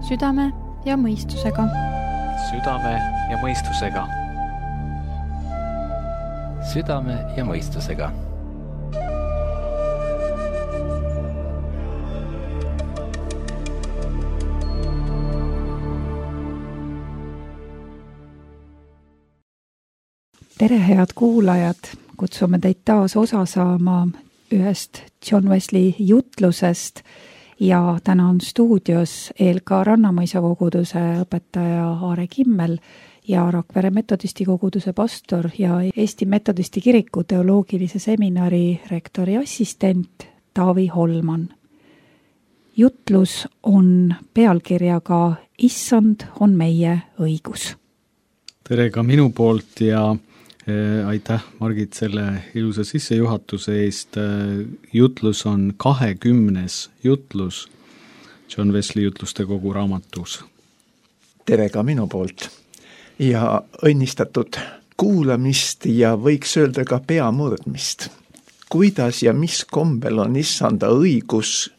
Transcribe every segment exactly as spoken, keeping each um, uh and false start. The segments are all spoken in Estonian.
Südame ja mõistusega. Südame ja mõistusega. Südame ja mõistusega. Tere, head kuulajad! Kutsume teid taas osa saama ühest John Wesley jutlusest ja täna on stuudios E L K Rannamõisa koguduse õpetaja Aare Kimmel ja Rakvere metodisti koguduse pastor ja Eesti metodisti kiriku teoloogilise seminari rektori assistent Taavi Holman. Jutlus on pealkirjaga Issand on meie õigus. Tere ka minu poolt ja aitäh, Margit, selle ilusa sissejuhatuse eest. Jutlus on kahekümnes jutlus John Wesley jutluste kogu raamatus. Tere ka minu poolt ja õnnistatud kuulamist ja võiks öelda ka peamurdmist. Kuidas ja mis kombel on issanda õigus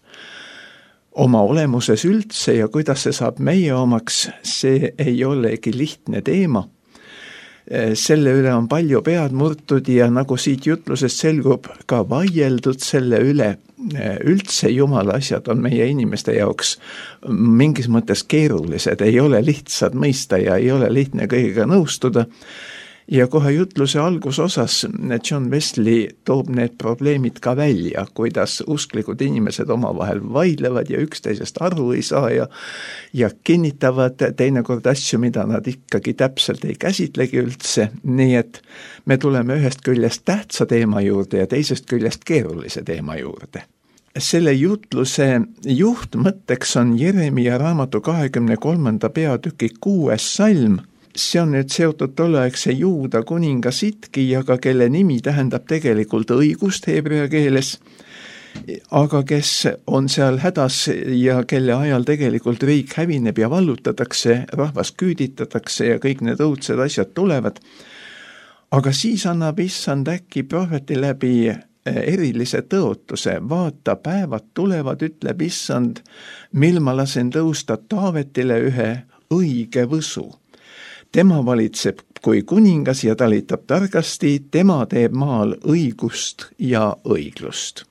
oma olemuses üldse ja kuidas see saab meie omaks, see ei olegi lihtne teema. Selle üle on palju pead murtud ja nagu siit jutlusest selgub ka vaieldud selle üle. Üldse Jumala asjad on meie inimeste jaoks mingis mõttes keerulised, ei ole lihtsad mõista ja ei ole lihtne kõigega nõustuda. Ja kohe jutluse algusosas John Wesley toob need probleemid ka välja, kuidas usklikud inimesed omavahel vaidlevad ja üksteisest aru ei saa ja, ja kinnitavad teinekord asju, mida nad ikkagi täpselt ei käsitlegi üldse. Nii et me tuleme ühest küljest tähtsa teema juurde ja teisest küljest keerulise teema juurde. Selle jutluse juhtmõtteks on Jeremia raamatu kahekümne kolmanda peatüki kuues salm. See on nüüd seotud tolleaegse Juuda kuninga Sitkijaga, kelle nimi tähendab tegelikult õigust heebrea keeles, aga kes on seal hädas ja kelle ajal tegelikult riik hävineb ja vallutatakse, rahvas küüditatakse ja kõik need õudsed asjad tulevad. Aga siis annab issand äkki prohveti läbi erilise tõotuse. Vaata, päevad tulevad, ütleb issand, mil ma lasen tõusta Taavetile ühe õige võsu. Tema valitseb kui kuningas ja talitab targasti, tema teeb maal õigust ja õiglust.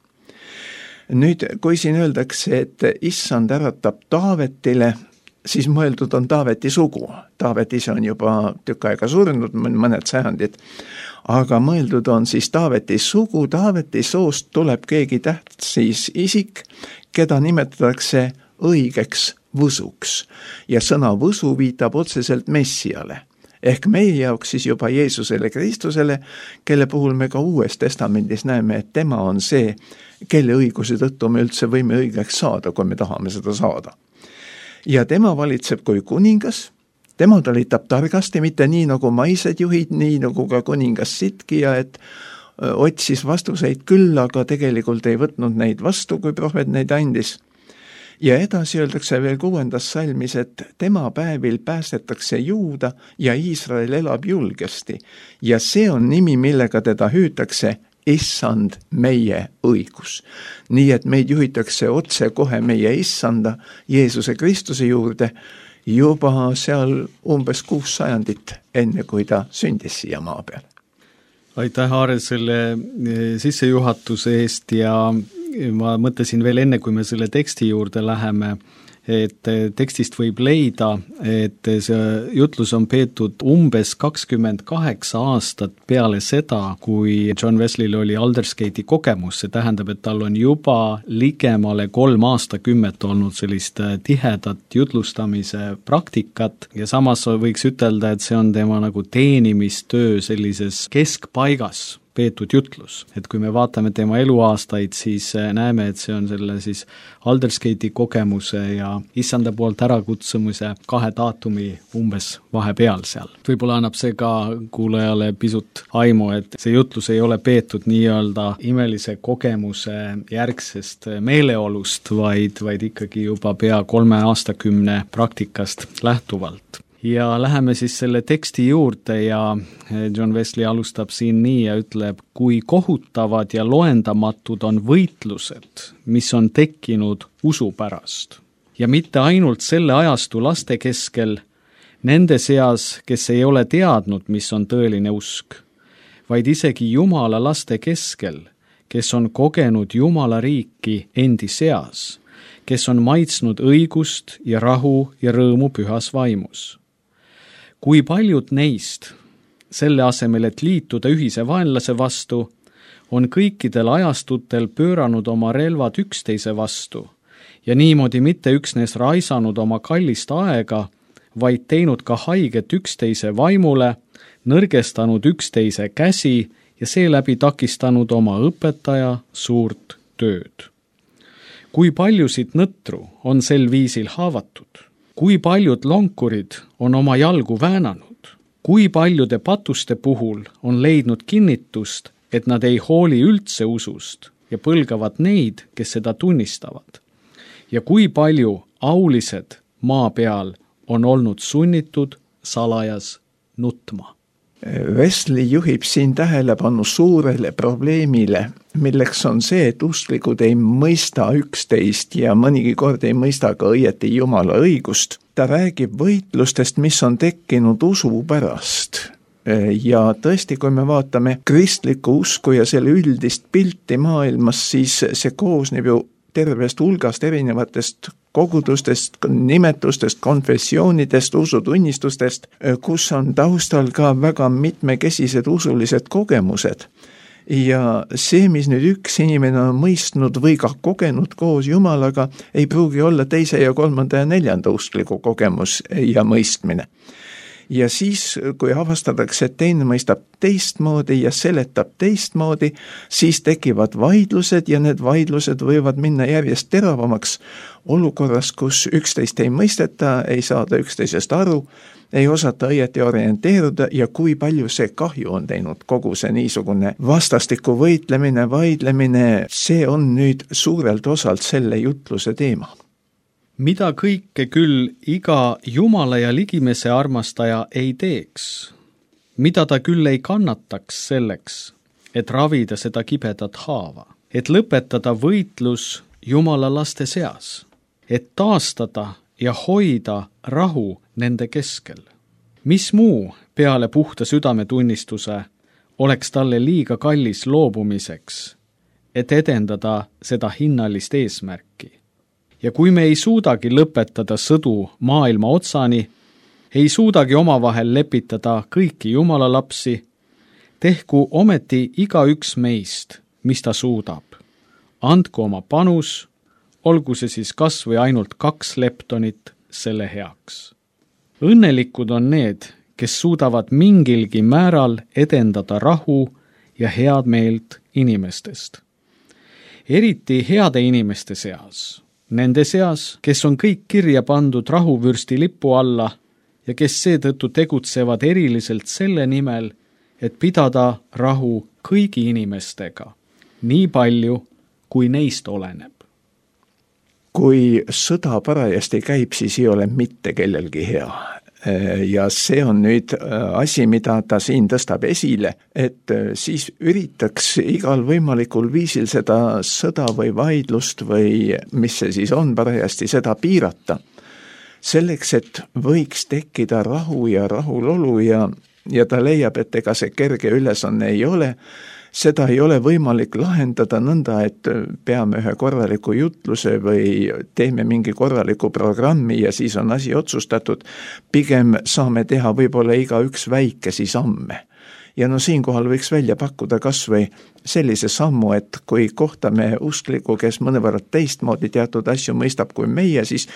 Nüüd, kui siin öeldakse, et issand äratab Taavetile, siis mõeldud on Taaveti sugu. Taavet ise on juba tükk aega surnud, mõned sajandid, aga mõeldud on siis Taaveti sugu. Taaveti soost tuleb keegi tähtsis isik, keda nimetatakse õigeks võsuks. Ja sõna võsu viitab otseselt Messiale. Ehk meie jaoks siis juba Jeesusele Kristusele, kelle puhul me ka Uues testamendis näeme, et tema on see, kelle õiguse tõttu me üldse võime õigeks saada, kui me tahame seda saada. Ja tema valitseb kui kuningas, tema talitab targasti, mitte nii nagu maised juhid, nii nagu ka kuningas Sitkija, et otsis vastuseid küll, aga tegelikult ei võtnud neid vastu, kui prohvet neid andis. Ja edasi öeldakse veel kuuendas salmis, et tema päevil päästetakse Juuda ja Iisrael elab julgesti. Ja see on nimi, millega teda hüütakse issand meie õigus. Nii et meid juhitakse otse kohe meie issanda Jeesuse Kristuse juurde juba seal umbes kuus sajandit enne, kui ta sündis siia maa peal. Aitäh, Aare, selle sissejuhatuse eest ja ma mõtlesin veel enne, kui me selle teksti juurde läheme, et tekstist võib leida, et see jutlus on peetud umbes kakskümmend kaheksa aastat peale seda, kui John Wesley'l oli Aldersgate'i kogemus. See tähendab, et tal on juba ligemale kolm aastakümmet olnud sellist tihedat jutlustamise praktikat ja samas võiks ütelda, et see on tema nagu teenimistöö sellises keskpaigas peetud jutlus. Et kui me vaatame tema eluaastaid, siis näeme, et see on selle siis Aldersgate'i kogemuse ja issanda poolt ärakutsumise kahe daatumi umbes vahepeal seal. Võib-olla annab see ka kuulajale pisut aimu, et see jutlus ei ole peetud nii-öelda imelise kogemuse järgsest meeleolust, vaid, vaid ikkagi juba pea kolme aastakümne praktikast lähtuvalt. Ja läheme siis selle teksti juurde ja John Wesley alustab siin nii ja ütleb, kui kohutavad ja loendamatud on võitlused, mis on tekkinud usu pärast. ja mitte ainult selle ajastu laste keskel, nende seas, kes ei ole teadnud, mis on tõeline usk, vaid isegi Jumala laste keskel, kes on kogenud Jumala riiki endi seas, kes on maitsnud õigust ja rahu ja rõõmu pühas vaimus. Kui paljud neist, selle asemel, et liituda ühise vaenlase vastu, on kõikidel ajastutel pööranud oma relvad üksteise vastu ja niimoodi mitte üksnes raisanud oma kallist aega, vaid teinud ka haiget üksteise vaimule, nõrgestanud üksteise käsi ja seeläbi takistanud oma õpetaja suurt tööd. Kui paljusid nõtru on sel viisil haavatud? Kui paljud lonkurid on oma jalgu väänanud? Kui paljude patuste puhul on leidnud kinnitust, et nad ei hooli üldse usust ja põlgavad neid, kes seda tunnistavad? Ja kui palju aulised maa peal on olnud sunnitud salajas nutma? Wesley juhib siin tähelepanu suurele probleemile, milleks on see, et usklikud ei mõista üksteist ja mõnigi kord ei mõista ka õieti Jumala õigust. Ta räägib võitlustest, mis on tekkinud usu pärast. Ja tõesti, kui me vaatame kristlikku usku ja selle üldist pilti maailmas, siis see koosneb ju tervest hulgast erinevatest kogudustest, nimetustest, konfessioonidest, usutunnistustest, kus on taustal ka väga mitmekesised usulised kogemused. Ja see, mis nüüd üks inimene on mõistnud või ka kogenud koos Jumalaga, ei pruugi olla teise ja kolmanda ja neljanda uskliku kogemus ja mõistmine. Ja siis, kui avastatakse, et teine mõistab teistmoodi ja seletab teistmoodi, siis tekivad vaidlused ja need vaidlused võivad minna järjest teravamaks olukorras, kus üksteist ei mõisteta, ei saada üksteisest aru, ei osata õieti orienteeruda ja kui palju see kahju on teinud kogu see niisugune vastastiku võitlemine, vaidlemine, see on nüüd suurelt osalt selle jutluse teema. Mida kõike küll iga Jumala ja ligimese armastaja ei teeks, mida ta küll ei kannataks selleks, et ravida seda kibedat haava, et lõpetada võitlus Jumala laste seas, et taastada ja hoida rahu nende keskel. Mis muu peale puhta südametunnistuse oleks talle liiga kallis loobumiseks, et edendada seda hinnalist eesmärki? Ja kui me ei suudagi lõpetada sõdu maailma otsani, ei suudagi omavahel lepitada kõiki Jumala lapsi, tehku ometi igaüks meist, mis ta suudab. Andku oma panus, olgu see siis kas või ainult kaks leptonit selle heaks. Õnnelikud on need, kes suudavad mingilgi määral edendada rahu ja head meelt inimestest. Eriti heade inimeste seas. Nende seas, kes on kõik kirja pandud rahuvürsti lipu alla ja kes seetõttu tegutsevad eriliselt selle nimel, et pidada rahu kõigi inimestega, nii palju, kui neist oleneb. Kui sõda parajasti käib, siis ei ole mitte kellelgi hea. Ja see on nüüd asi, mida ta siin tõstab esile, et siis üritaks igal võimalikul viisil seda sõda või vaidlust või mis see siis on parajasti, seda piirata. Selleks, et võiks tekkida rahu ja rahulolu ja, ja ta leiab, et ega see kerge ülesanne ei ole, seda ei ole võimalik lahendada nõnda, et peame ühe korraliku jutluse või teeme mingi korraliku programmi ja siis on asi otsustatud. Pigem saame teha võib-olla iga üks väikesi samme. Ja no siinkohal võiks välja pakkuda kas või sellise sammu, et kui kohtame uskliku, kes mõnevõrra teistmoodi teatud asju mõistab kui meie, siis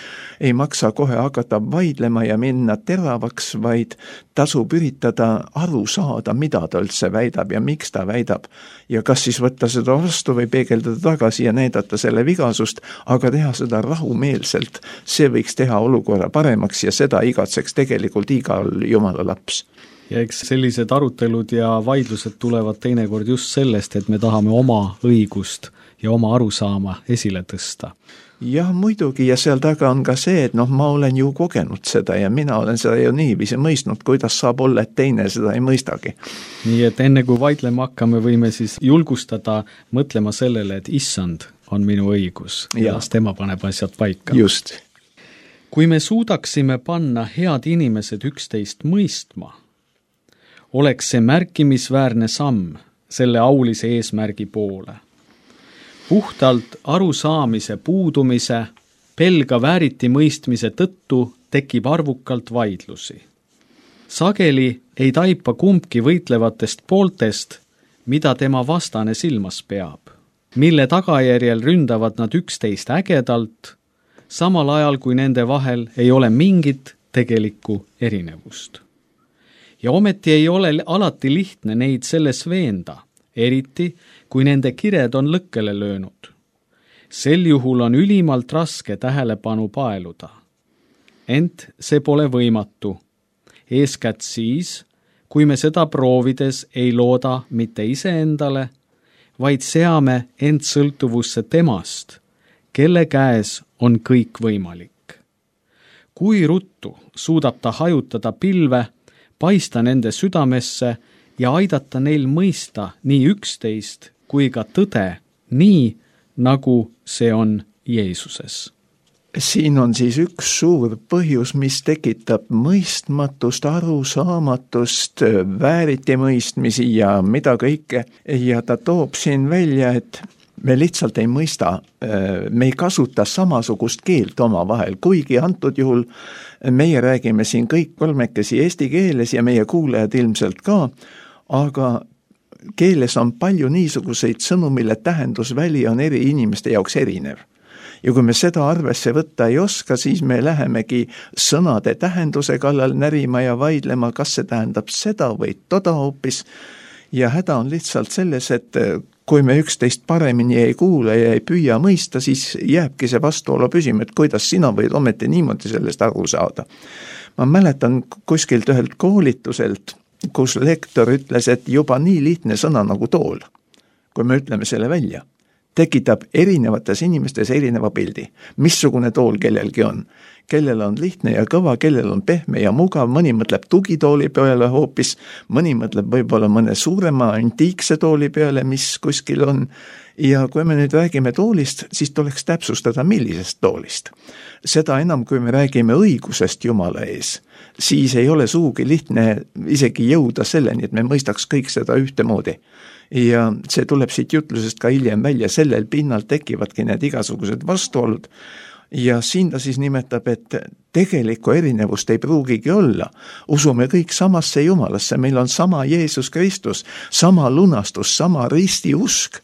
ei maksa kohe hakata vaidlema ja minna teravaks, vaid tasub üritada aru saada, mida ta üldse väidab ja miks ta väidab. Ja kas siis võtta seda vastu või peegeldada tagasi ja näidata selle vigasust, aga teha seda rahumeelselt. See võiks teha olukorra paremaks ja seda igatseks tegelikult igal Jumala laps. Ja eks sellised arutelud ja vaidlused tulevad teinekord just sellest, et me tahame oma õigust ja oma arusaama esile tõsta. Jah, muidugi ja seal taga on ka see, et noh, ma olen ju kogenud seda ja mina olen seda ju niiviisi mõistnud, kuidas saab olla, et teine seda ei mõistagi. Nii et enne kui vaidlema hakkame, võime siis julgustada mõtlema sellele, et issand on minu õigus ja, ja tema paneb asjad paika. Just. kui me suudaksime panna head inimesed üksteist mõistma, oleks see märkimisväärne samm selle aulise eesmärgi poole. Puhtalt arusaamise puudumise, pelga vääriti mõistmise tõttu tekib arvukalt vaidlusi. Sageli ei taipa kumbki võitlevatest pooltest, mida tema vastane silmas peab, mille tagajärjel ründavad nad üksteist ägedalt, samal ajal kui nende vahel ei ole mingit tegelikku erinevust. Ja ometi ei ole alati lihtne neid selles veenda, eriti kui nende kired on lõkkele löönud. Sel juhul on ülimalt raske tähelepanu paeluda. Ent see pole võimatu. Eeskätt siis, kui me seda proovides ei looda mitte iseendale, vaid seame end sõltuvusse temast, kelle käes on kõik võimalik. Kui ruttu suudab ta hajutada pilve, paista nende südamesse ja aidata neil mõista nii üksteist kui ka tõde, nii nagu see on Jeesuses. Siin on siis üks suur põhjus, mis tekitab mõistmatust, arusaamatust, vääritimõistmisi ja mida kõike. Ja ta toob siin välja, et me lihtsalt ei mõista, me ei kasuta samasugust keelt oma vahel, kuigi antud juhul meie räägime siin kõik kolmekesi eesti keeles ja meie kuulajad ilmselt ka, aga keeles on palju niisuguseid sõnu, mille tähendusväli on eri inimeste jaoks erinev. Ja kui me seda arvesse võtta ei oska, siis me lähemegi sõnade tähenduse kallal närima ja vaidlema, kas see tähendab seda või toda hoopis. Ja häda on lihtsalt selles, et kui me üksteist paremini ei kuule ja ei püüa mõista, siis jääbki see vastuolu püsima, et kuidas sina võid ometi niimoodi sellest aru saada. Ma mäletan kuskilt ühelt koolituselt, kus lektor ütles, et juba nii lihtne sõna nagu tool, kui me ütleme selle välja, tekitab erinevates inimestes erineva pildi, missugune tool kellelgi on. Kellel on lihtne ja kõva, kellel on pehme ja mugav, mõni mõtleb tugitooli peale hoopis, mõni mõtleb võib-olla mõne suurema antiikse tooli peale, mis kuskil on. Ja kui me nüüd räägime toolist, siis tuleks täpsustada, millisest toolist. Seda enam, kui me räägime õigusest Jumala ees, siis ei ole sugugi lihtne isegi jõuda selleni, et me mõistaks kõik seda ühtemoodi. Ja see tuleb siit jutlusest ka hiljem välja, sellel pinnal tekivadki need igasugused vastuolud. Ja siin ta siis nimetab, et tegelikku erinevust ei pruugigi olla. Usume kõik samasse Jumalasse, meil on sama Jeesus Kristus, sama lunastus, sama risti usk.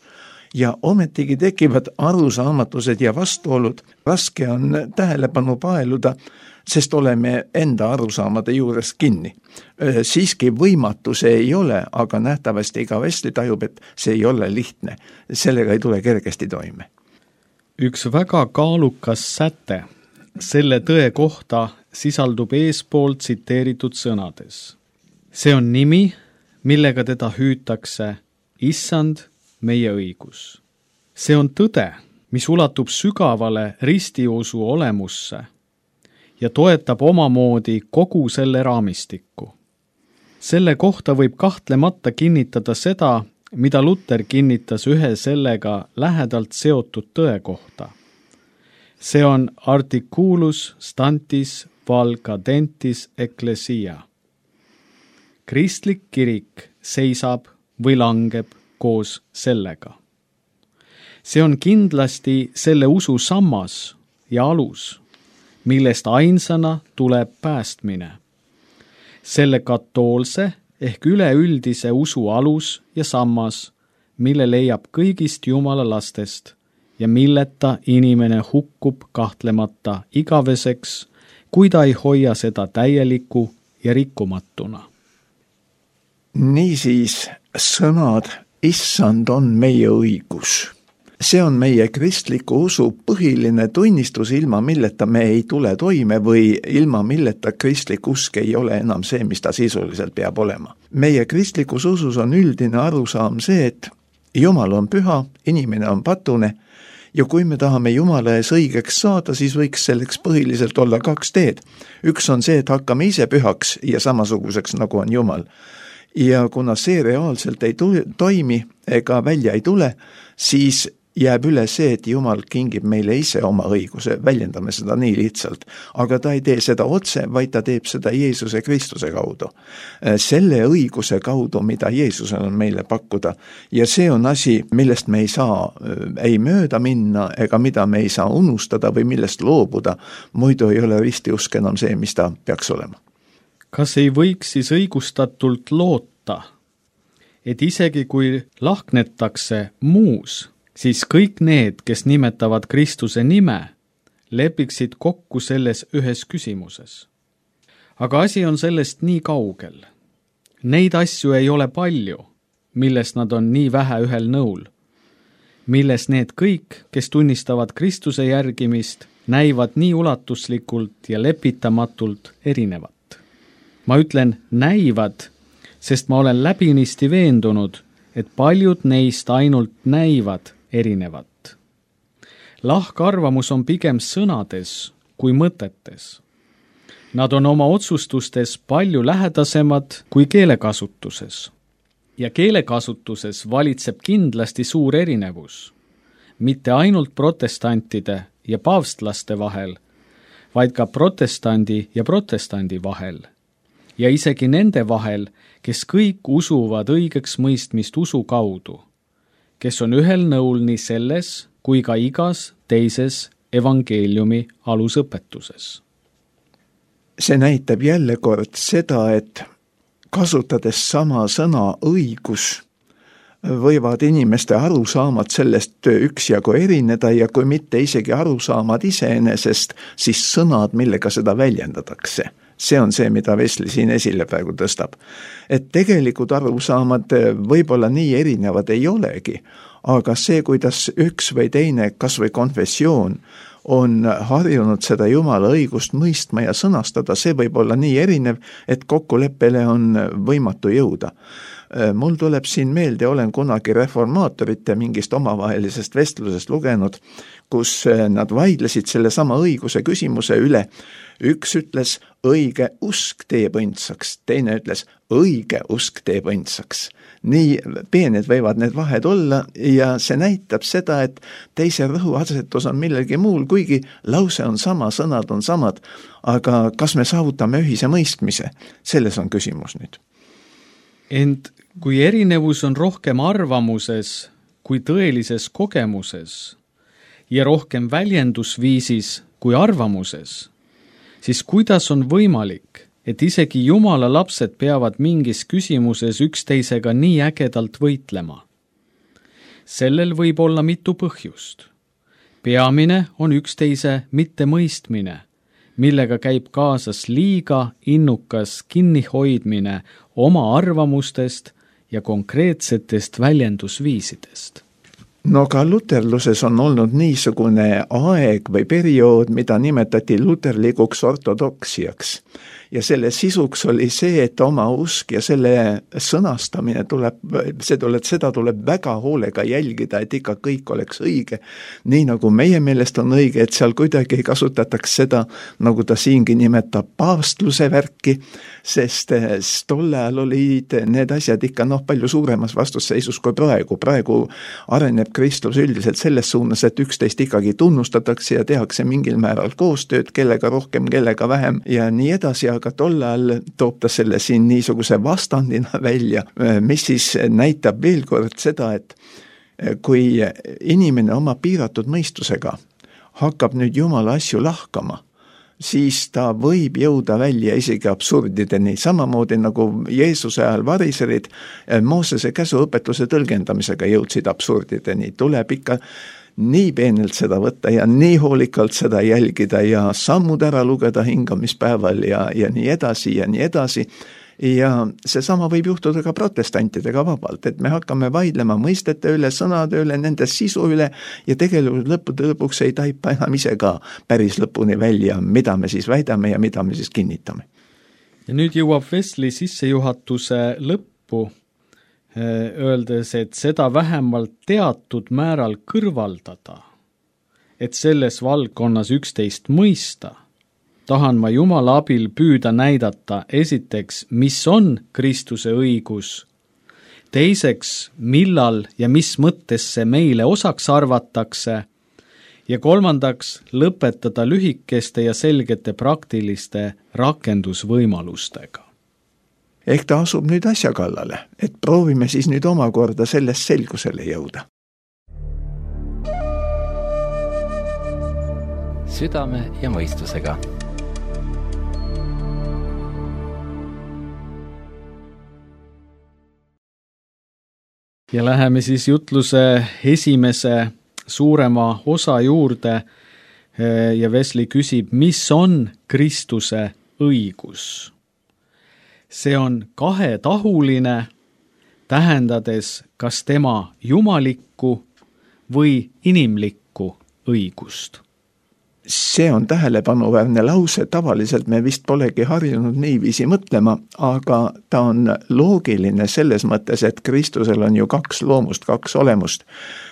Ja ometigi tekivad arusaamatused ja vastuolud. Raske on tähelepanu paeluda, sest oleme enda arusaamade juures kinni. Siiski võimatu see ei ole, aga nähtavasti iga Wesley tajub, et see ei ole lihtne. Sellega ei tule kergesti toime. Üks väga kaalukas säte selle tõe kohta sisaldub eespoolt tsiteeritud sõnades. See on nimi, millega teda hüütakse Issand, meie õigus. See on tõde, mis ulatub sügavale ristiusu olemusse ja toetab omamoodi kogu selle raamistikku. Selle kohta võib kahtlemata kinnitada seda, mida Luther kinnitas ühe sellega lähedalt seotud tõe kohta. See on articulus stantis val cadentis ecclesia. Kristlik kirik seisab või langeb koos sellega. See on kindlasti selle usu sammas ja alus, millest ainsana tuleb päästmine. Selle katoolse ehk üleüldise usu alus ja sammas, mille leiab kõigist Jumala lastest ja milleta inimene hukkub kahtlemata igaveseks, kui ta ei hoia seda täieliku ja rikkumatuna. Niisiis sõnad Issand on meie õigus. See on meie kristliku usu põhiline tunnistus, ilma milleta me ei tule toime või ilma milleta kristlik usk ei ole enam see, mis ta sisuliselt peab olema. Meie kristlikus usus on üldine arusaam see, et Jumal on püha, inimene on patune ja kui me tahame Jumala ees õigeks saada, siis võiks selleks põhiliselt olla kaks teed. Üks on see, et hakkame ise pühaks ja samasuguseks, nagu on Jumal. Ja kuna see reaalselt ei tule, toimi ega välja ei tule, siis jääb üle see, et Jumal kingib meile ise oma õiguse, väljendame seda nii lihtsalt. Aga ta ei tee seda otse, vaid ta teeb seda Jeesuse Kristuse kaudu. Selle õiguse kaudu, mida Jeesusel on meile pakkuda. Ja see on asi, millest me ei saa ei mööda minna, ega mida me ei saa unustada või millest loobuda. Muidu ei ole ristiusk enam see, mis ta peaks olema. Kas ei võiks siis õigustatult loota, et isegi kui lahknetakse muus, siis kõik need, kes nimetavad Kristuse nime, lepiksid kokku selles ühes küsimuses. Aga asi on sellest nii kaugel. Neid asju ei ole palju, milles nad on nii vähe ühel nõul, milles need kõik, kes tunnistavad Kristuse järgimist, näivad nii ulatuslikult ja lepitamatult erinevat. Ma ütlen näivad, sest ma olen läbinisti veendunud, et paljud neist ainult näivad erinevat. Lahkarvamus on pigem sõnades kui mõtetes. Nad on oma otsustustes palju lähedasemad kui keelekasutuses. Ja keelekasutuses valitseb kindlasti suur erinevus. Mitte ainult protestantide ja paavstlaste vahel, vaid ka protestandi ja protestandi vahel. Ja isegi nende vahel, kes kõik usuvad õigeks mõistmist usu kaudu, kes on ühel nõul nii selles kui ka igas teises evangeeliumi alusõpetuses. See näitab jälle kord seda, et kasutades sama sõna õigus, võivad inimeste arusaamad sellest üksjagu erineda ja kui mitte isegi arusaamad iseenesest, siis sõnad, millega seda väljendatakse. See on see, mida Wesley siin esile praegu tõstab. Et tegelikult arusaamad võib-olla nii erinevad ei olegi, aga see, kuidas üks või teine, kas või konfessioon on harjunud seda Jumala õigust mõistma ja sõnastada, see võib olla nii erinev, et kokkuleppele on võimatu jõuda. Mul tuleb siin meelde, olen kunagi reformaatorite mingist omavahelisest vestlusest lugenud, kus nad vaidlesid selle sama õiguse küsimuse üle. Üks ütles, õige usk teeb õndsaks, teine ütles, õige usk teeb õndsaks. Nii peened võivad need vahed olla ja see näitab seda, et teise rõhuasetus on millegi muul, kuigi lause on sama, sõnad on samad, aga kas me saavutame ühise mõistmise? Selles on küsimus nüüd. Ent kui erinevus on rohkem arvamuses kui tõelises kogemuses ja rohkem väljendusviisis kui arvamuses, siis kuidas on võimalik, et isegi Jumala lapsed peavad mingis küsimuses üksteisega nii ägedalt võitlema? Sellel võib olla mitu põhjust. Peamine on üksteise mittemõistmine, millega käib kaasas liiga innukas kinnihoidmine oma arvamustest ja konkreetsetest väljendusviisidest. No ka luterluses on olnud niisugune aeg või periood, mida nimetati luterlikuks ortodoksiaks. Ja selle sisuks oli see, et oma usk ja selle sõnastamine tuleb, see tuleb, seda tuleb väga hoolega jälgida, et ikka kõik oleks õige. Nii nagu meie meelest on õige, et seal kuidagi kasutataks seda, nagu ta siingi nimetab paavstluse värki, sest tol ajal olid need asjad ikka noh, palju suuremas vastusseisus kui praegu. Praegu areneb kristlus üldiselt selles suunas, et üksteist ikkagi tunnustatakse ja tehakse mingil määral koostööd, kellega rohkem, kellega vähem ja nii edasi, aga tol ajal toob ta selle siin niisuguse vastandina välja, mis siis näitab veel kord seda, et kui inimene oma piiratud mõistusega hakkab nüüd Jumala asju lahkama, siis ta võib jõuda välja isegi absurdideni, samamoodi nagu Jeesuse ajal variserid Moosese käsuõpetuse tõlgendamisega jõudsid absurdideni. Tuleb ikka nii peenelt seda võtta ja nii hoolikalt seda jälgida ja sammud ära lugeda hingamispäeval ja, ja nii edasi ja nii edasi. Ja see sama võib juhtuda ka protestantidega vabalt, et me hakkame vaidlema mõistete üle, sõnade üle, nende sisu üle ja tegelikult lõppude lõpuks ei taipa enam ise ka päris lõpuni välja, mida me siis väidame ja mida me siis kinnitame. Ja nüüd jõuab Wesley sissejuhatuse lõppu, öeldes, et seda vähemalt teatud määral kõrvaldada, et selles valdkonnas üksteist mõista, tahan ma Jumala abil püüda näidata esiteks, mis on Kristuse õigus, teiseks, millal ja mis mõttes see meile osaks arvatakse, ja kolmandaks, lõpetada lühikeste ja selgete praktiliste rakendusvõimalustega. Ehk ta asub nüüd asja kallale, et proovime siis nüüd omakorda sellest selgusele jõuda. Südame ja mõistusega. Ja läheme siis jutluse esimese suurema osa juurde ja Wesley küsib, mis on Kristuse õigus? See on kahetahuline, tähendades kas tema jumalikku või inimlikku õigust. See on tähelepanuväärne lause, tavaliselt me vist polegi harjunud niiviisi mõtlema, aga ta on loogiline selles mõttes, et Kristusel on ju kaks loomust, kaks olemust.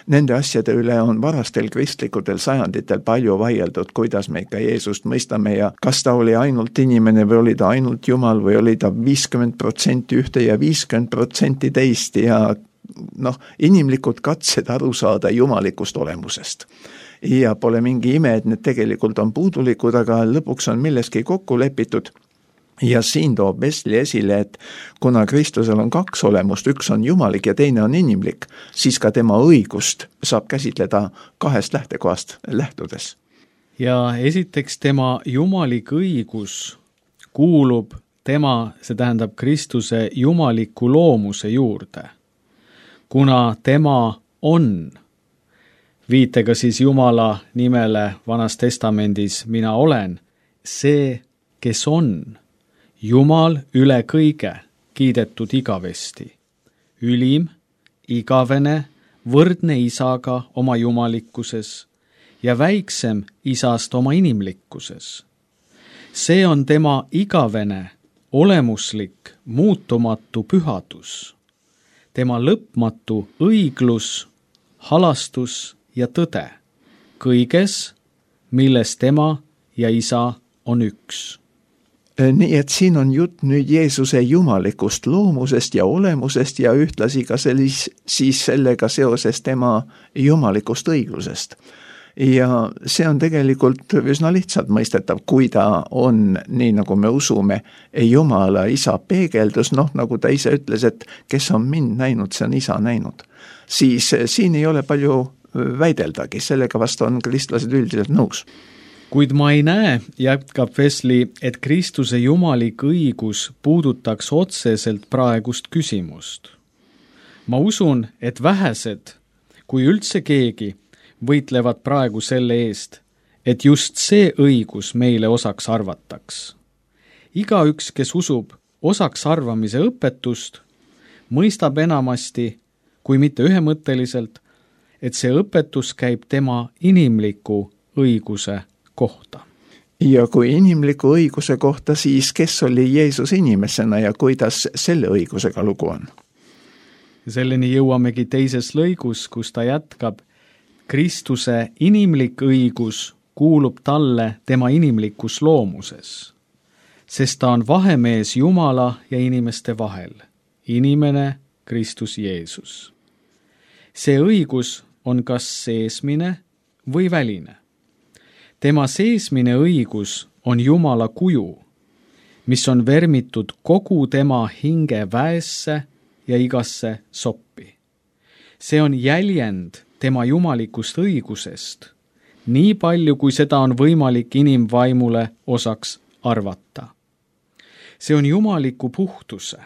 Nende asjade üle on varastel kristlikutel sajanditel palju vaieldud, kuidas me ikka Jeesust mõistame ja kas ta oli ainult inimene või oli ta ainult Jumal või oli ta viiskümmend protsenti ühte ja viiskümmend protsenti teist ja noh, inimlikud katsed aru saada jumalikust olemusest. Ja pole mingi ime, et need tegelikult on puudulikud, aga lõpuks on milleski kokku lepitud. Ja siin toob Wesley esile, et kuna Kristusel on kaks olemust, üks on jumalik ja teine on inimlik, siis ka tema õigust saab käsitleda kahest lähtekohast lähtudes. Ja esiteks tema jumalik õigus kuulub tema, see tähendab Kristuse jumaliku loomuse juurde, kuna tema on viitega siis Jumala nimele Vanas Testamendis mina olen, see, kes on, Jumal üle kõige, kiidetud igavesti, ülim, igavene, võrdne isaga oma jumalikkuses ja väiksem isast oma inimlikkuses. See on tema igavene, olemuslik, muutumatu pühadus, tema lõpmatu õiglus, halastus ja tõde, kõiges, milles tema ja isa on üks. Nii et siin on jutt nüüd Jeesuse jumalikust loomusest ja olemusest ja ühtlasi ka sellis, siis sellega seoses tema jumalikust õiglusest. Ja see on tegelikult üsna lihtsalt mõistetav, kui ta on, nii nagu me usume, Jumala isa peegeldus, noh nagu ta ise ütles, et kes on mind näinud, see on isa näinud. Siis siin ei ole palju väideldagi, sellega vastu on kristlased üldiselt nõus. Kuid ma ei näe, jätkab Wesley, et Kristuse jumalik õigus puudutaks otseselt praegust küsimust. Ma usun, et vähesed, kui üldse keegi, võitlevad praegu selle eest, et just see õigus meile osaks arvataks. Igaüks, kes usub osaks arvamise õpetust, mõistab enamasti, kui mitte ühemõtteliselt, et see õpetus käib tema inimliku õiguse kohta. Ja kui inimliku õiguse kohta, siis kes oli Jeesus inimesena ja kuidas selle õigusega lugu on? Selleni jõuamegi teises lõigus, kus ta jätkab, Kristuse inimlik õigus kuulub talle tema inimlikus loomuses, sest ta on vahemees Jumala ja inimeste vahel, inimene Kristus Jeesus. See õigus on kas seesmine või väline. Tema seesmine õigus on Jumala kuju, mis on vermitud kogu tema hinge väesse ja igasse soppi. See on jäljend tema jumalikust õigusest, nii palju kui seda on võimalik inimvaimule osaks arvata. See on jumaliku puhtuse,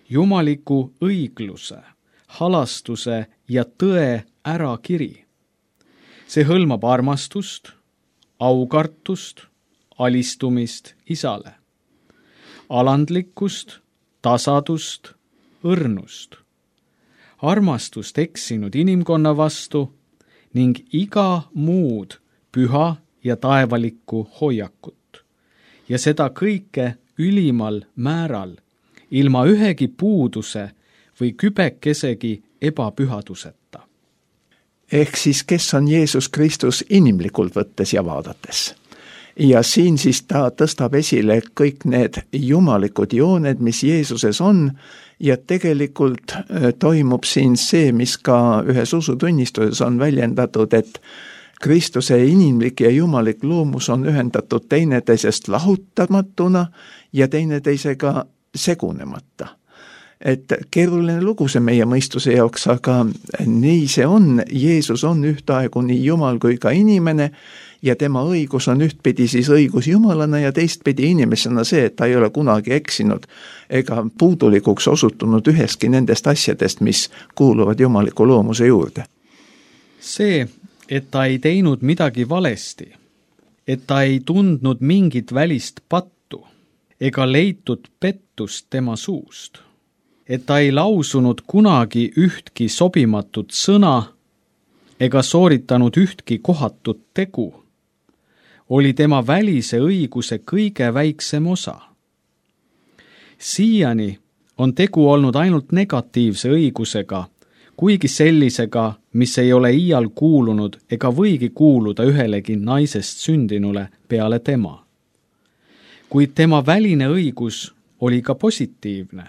jumaliku õigluse, halastuse ja tõe ärakiri. See hõlmab armastust, aukartust, alistumist isale, alandlikkust, tasadust, õrnust, armastust eksinud inimkonna vastu ning iga muud püha ja taevalikku hoiakut. Ja seda kõike ülimal määral, ilma ühegi puuduse või kübekesegi ebapühaduseta. Ehk siis, kes on Jeesus Kristus inimlikult võttes ja vaadates? ja siin siis ta tõstab esile kõik need jumalikud jooned, mis Jeesuses on, ja tegelikult toimub siin see, mis ka ühes usutunnistuses on väljendatud, et Kristuse inimlik ja jumalik loomus on ühendatud teineteisest lahutamatuna ja teineteisega segunemata. Et keeruline lugu see meie mõistuse jaoks, aga nii see on. Jeesus on ühtaegu nii Jumal kui ka inimene ja tema õigus on ühtpidi siis õigus Jumalana ja teistpidi inimesena see, et ta ei ole kunagi eksinud ega puudulikuks osutunud üheski nendest asjadest, mis kuuluvad jumaliku loomuse juurde. See, et ta ei teinud midagi valesti, et ta ei tundnud mingit välist pattu ega leitud pettust tema suust, et ta ei lausunud kunagi ühtki sobimatut sõna ega sooritanud ühtki kohatut tegu, oli tema välise õiguse kõige väiksem osa. Siiani on tegu olnud ainult negatiivse õigusega, kuigi sellisega, mis ei ole iial kuulunud ega võigi kuuluda ühelegi naisest sündinule peale tema. Kuid tema väline õigus oli ka positiivne.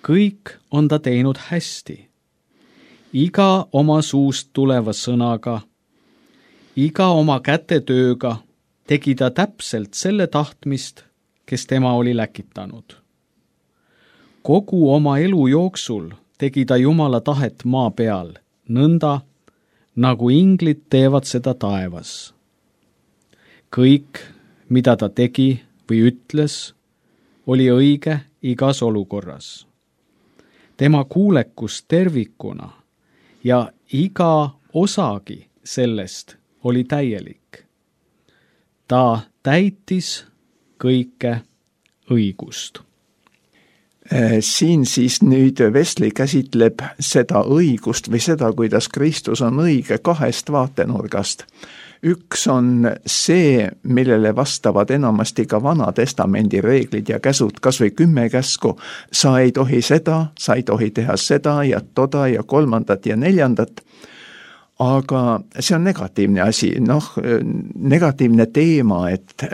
Kõik on ta teinud hästi. Iga oma suust tuleva sõnaga, iga oma kätetööga tegi ta täpselt selle tahtmist, kes tema oli läkitanud. Kogu oma elu jooksul tegi ta Jumala tahet maa peal, nõnda, nagu inglid teevad seda taevas. Kõik, mida ta tegi või ütles, oli õige igas olukorras. Tema kuulekus tervikuna ja iga osagi sellest oli täielik. Ta täitis kõike õigust. Siin siis nüüd Wesley käsitleb seda õigust või seda, kuidas Kristus on õige kahest vaatenurgast. Üks on see, millele vastavad enamasti ka Vana Testamendi reeglid ja käsud, kas või kümme käsku. Sa ei tohi seda, sa ei tohi teha seda ja toda ja kolmandat ja neljandat. Aga see on negatiivne asi, noh, negatiivne teema, et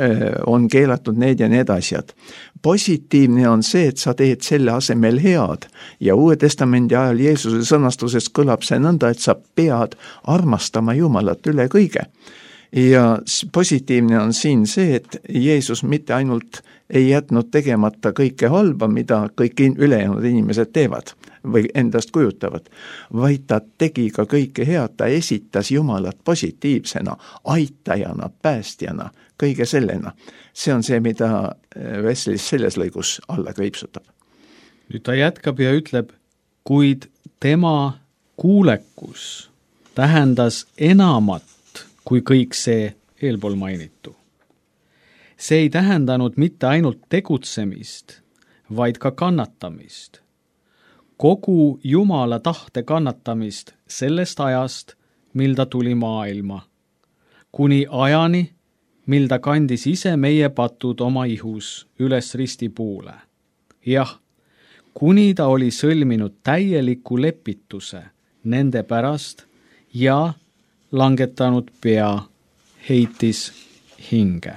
on keelatud need ja need asjad. Positiivne on see, et sa teed selle asemel head ja Uue Testamendi ajal Jeesuse sõnastuses kõlab see nõnda, et sa pead armastama Jumalat üle kõige. Ja positiivne on siin see, et Jeesus mitte ainult ei jätnud tegemata kõike halba, mida kõik ülejäänud inimesed teevad või endast kujutavad, vaid ta tegi ka kõike head, ta esitas Jumalat positiivsena, aitajana, päästjana, kõige sellena. See on see, mida Wesley selles lõigus alla kriipsutab. Nüüd ta jätkab ja ütleb, kuid tema kuulekus tähendas enamat kui kõik see eelpool mainitu. See ei tähendanud mitte ainult tegutsemist, vaid ka kannatamist. Kogu Jumala tahte kannatamist sellest ajast, mil ta tuli maailma, kuni ajani, mil ta kandis ise meie patud oma ihus üles ristipuule. Jah, kuni ta oli sõlminud täieliku lepituse nende pärast ja langetanud pea, heitis hinge.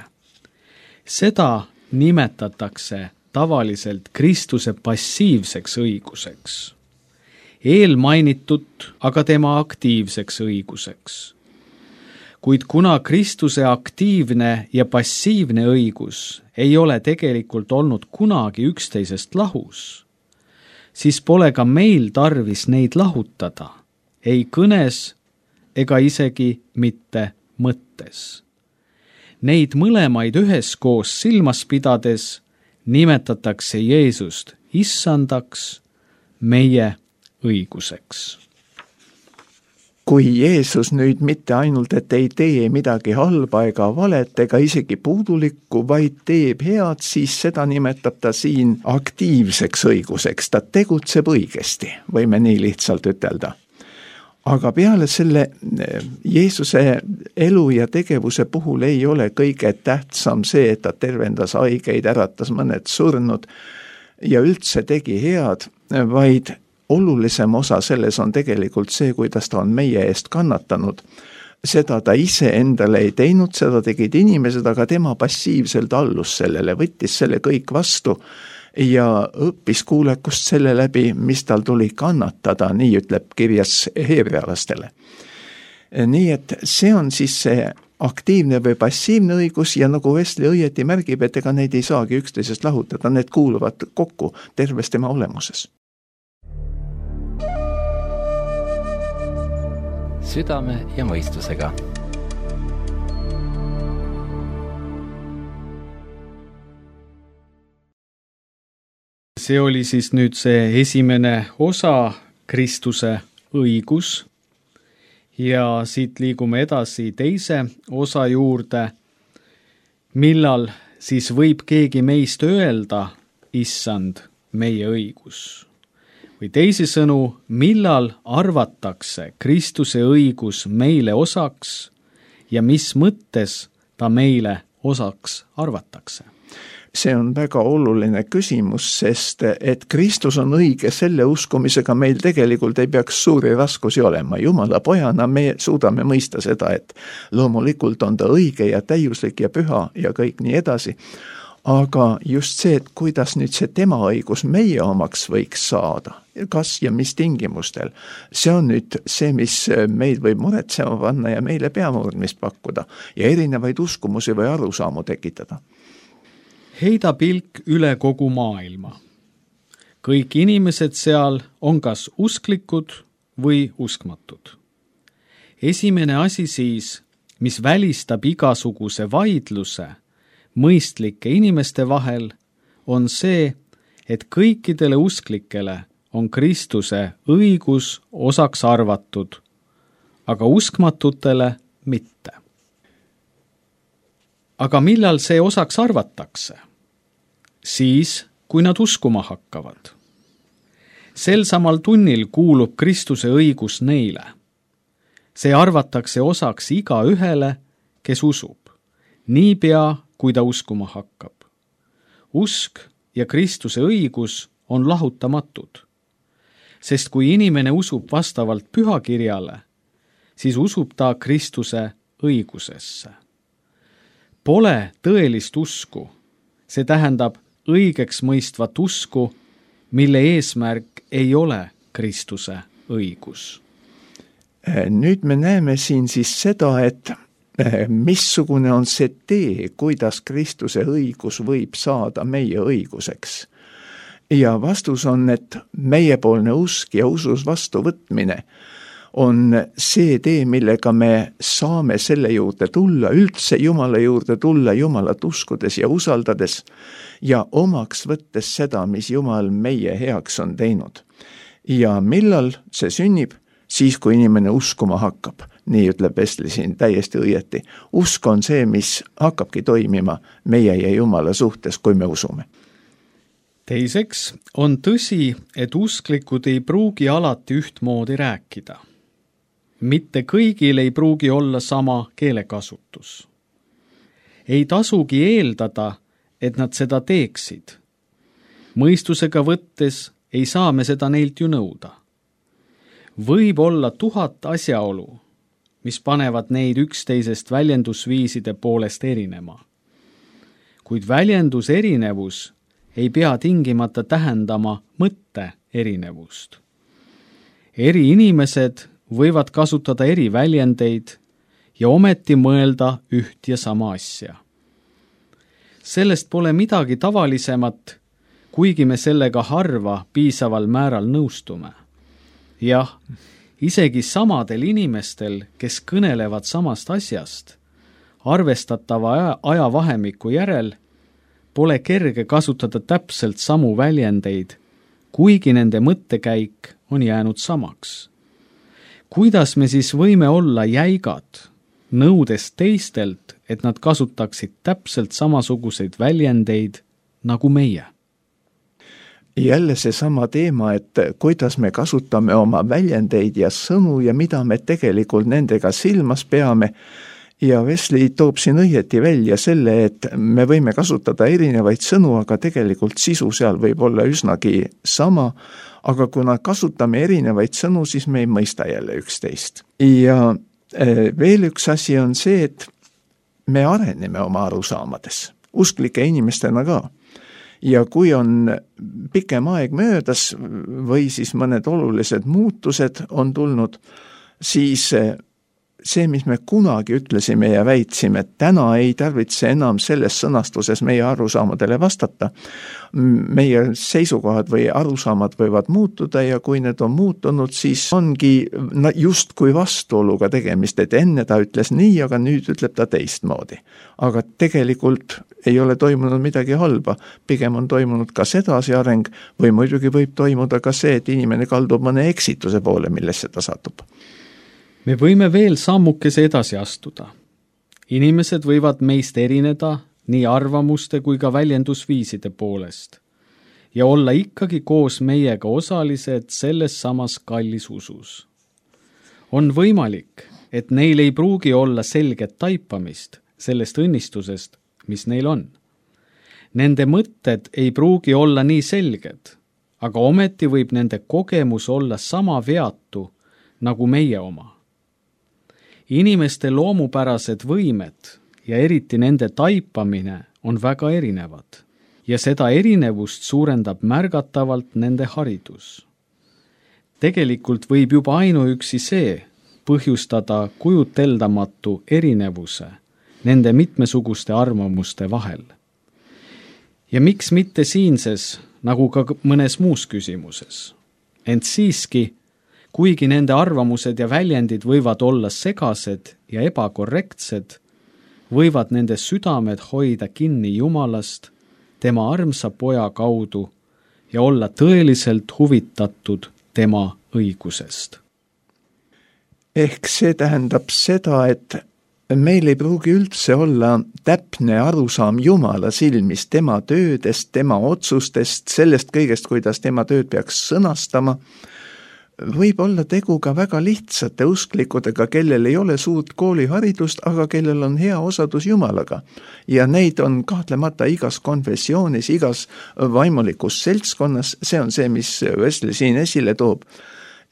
Seda nimetatakse tavaliselt Kristuse passiivseks õiguseks, eelmainitut aga tema aktiivseks õiguseks. Kuid kuna Kristuse aktiivne ja passiivne õigus ei ole tegelikult olnud kunagi üksteisest lahus, siis pole ka meil tarvis neid lahutada, ei kõnes ega isegi mitte mõttes. Neid mõlemaid üheskoos silmas pidades nimetatakse Jeesust issandaks, meie õiguseks. Kui Jeesus nüüd mitte ainult, et ei tee midagi halba ega valet ega isegi puudulikku, vaid teeb head, siis seda nimetab ta siin aktiivseks õiguseks. Ta tegutseb õigesti, võime nii lihtsalt ütelda. Aga peale selle Jeesuse elu ja tegevuse puhul ei ole kõige tähtsam see, et ta tervendas haigeid, äratas mõned surnud ja üldse tegi head, vaid olulisem osa selles on tegelikult see, kuidas ta on meie eest kannatanud. seda ta ise endale ei teinud, seda tegid inimesed, aga tema passiivselt allus sellele, võttis selle kõik vastu ja õppis kuulekust selle läbi, mis tal tuli kannatada, nii ütleb kirjas heebrealastele. Nii et see on siis see aktiivne või passiivne õigus ja nagu Wesley õieti märgib, et ega neid ei saagi üksteisest lahutada, need kuuluvad kokku terves tema olemuses. Südame ja mõistusega. See oli siis nüüd see esimene osa, Kristuse õigus, ja siit liigume edasi teise osa juurde, millal siis võib keegi meist öelda, issand, meie õigus. Või teisisõnu, millal arvatakse Kristuse õigus meile osaks ja mis mõttes ta meile osaks arvatakse? See on väga oluline küsimus, sest et Kristus on õige selle uskumisega meil tegelikult ei peaks suuri raskusi olema. Jumala pojana me suudame mõista seda, et loomulikult on ta õige ja täiuslik ja püha ja kõik nii edasi. Aga just see, et kuidas nüüd see tema õigus meie omaks võiks saada, kas ja mis tingimustel, see on nüüd see, mis meil võib muretsema panna ja meile peamurdmist pakkuda ja erinevaid uskumusi või arusaamu tekitada. Heida pilk üle kogu maailma. Kõik inimesed seal on kas usklikud või uskmatud. Esimene asi siis, mis välistab igasuguse vaidluse mõistlike inimeste vahel, on see, et kõikidele usklikele on Kristuse õigus osaks arvatud, aga uskmatutele mitte. Aga millal see osaks arvatakse? Siis, kui nad uskuma hakkavad. Sel samal tunnil kuulub Kristuse õigus neile. See arvatakse osaks iga ühele, kes usub, niipea kui ta uskuma hakkab. Usk ja Kristuse õigus on lahutamatud, sest kui inimene usub vastavalt pühakirjale, siis usub ta Kristuse õigusesse. Pole tõelist usku, see tähendab õigeks mõistvat usku, mille eesmärk ei ole Kristuse õigus. Nüüd me näeme siin siis seda, et missugune on see tee, kuidas Kristuse õigus võib saada meie õiguseks. Ja vastus on, et meiepoolne usk ja usus vastuvõtmine on see tee, millega me saame selle juurde tulla, üldse Jumala juurde tulla, Jumalat uskudes ja usaldades ja omaks võttes seda, mis Jumal meie heaks on teinud. Ja millal see sünnib? Siis, kui inimene uskuma hakkab. Nii ütleb Wesley siin täiesti õieti. Usk on see, mis hakkabki toimima meie ja Jumala suhtes, kui me usume. Teiseks on tõsi, et usklikud ei pruugi alati ühtmoodi rääkida. Mitte kõigil ei pruugi olla sama keelekasutus. Ei tasugi eeldada, et nad seda teeksid. Mõistusega võttes ei saa me seda neilt ju nõuda. Võib olla tuhat asjaolu, mis panevad neid üksteisest väljendusviiside poolest erinema. Kuid väljendus erinevus ei pea tingimata tähendama mõtte erinevust. Eri inimesed võivad kasutada eri väljendeid ja ometi mõelda üht ja sama asja. Sellest pole midagi tavalisemat, kuigi me sellega harva piisaval määral nõustume. Jah, isegi samadel inimestel, kes kõnelevad samast asjast, arvestatava ajavahemiku järel, pole kerge kasutada täpselt samu väljendeid, kuigi nende mõttekäik on jäänud samaks. Kuidas me siis võime olla jäigad, nõudes teistelt, et nad kasutaksid täpselt samasuguseid väljendeid nagu meie? Jälle see sama teema, et kuidas me kasutame oma väljendeid ja sõnu ja mida me tegelikult nendega silmas peame. Ja Wesley toob siin õieti välja selle, et me võime kasutada erinevaid sõnu, aga tegelikult sisu seal võib olla üsnagi sama, aga kuna kasutame erinevaid sõnu, siis me ei mõista jälle üksteist. Ja Veel üks asi on see, et me areneme oma arusaamades, usklike inimestena ka. Ja kui on pikem aeg möödas või siis mõned olulised muutused on tulnud, siis see, mis me kunagi ütlesime ja väitsime, et täna ei tarvitse enam selles sõnastuses meie arusaamadele vastata. Meie seisukohad või arusaamad võivad muutuda ja kui need on muutunud, siis ongi just kui vastuoluga tegemist, et enne ta ütles nii, aga nüüd ütleb ta teistmoodi. Aga tegelikult ei ole toimunud midagi halba, pigem on toimunud kas edasi areng või muidugi võib toimuda ka see, et inimene kaldub mõne eksituse poole, millesse ta satub. Me võime veel sammukese edasi astuda. Inimesed võivad meist erineda nii arvamuste kui ka väljendusviiside poolest ja olla ikkagi koos meiega osalised selles samas kallis usus. On võimalik, et neil ei pruugi olla selget taipamist sellest õnnistusest, mis neil on. Nende mõtted ei pruugi olla nii selged, aga ometi võib nende kogemus olla sama veatu nagu meie oma. Inimeste loomupärased võimed ja eriti nende taipamine on väga erinevad ja seda erinevust suurendab märgatavalt nende haridus. Tegelikult võib juba ainuüksi see põhjustada kujuteldamatu erinevuse nende mitmesuguste arvamuste vahel. Ja miks mitte siinses, nagu ka mõnes muus küsimuses, ent siiski kuigi nende arvamused ja väljendid võivad olla segased ja ebakorrektsed, võivad nende südamed hoida kinni Jumalast, tema armsa poja kaudu ja olla tõeliselt huvitatud tema õigusest. Ehk see tähendab seda, et meil ei pruugi üldse olla täpne arusaam Jumala silmis, tema töödest, tema otsustest, sellest kõigest, kuidas tema tööd peaks sõnastama. Võib olla tegu ka väga lihtsate usklikudega, kellel ei ole suurt kooliharidust, aga kellel on hea osadus Jumalaga. Ja neid on kahtlemata igas konfessioonis, igas vaimulikus seltskonnas, see on see, mis Wesley siin esile toob.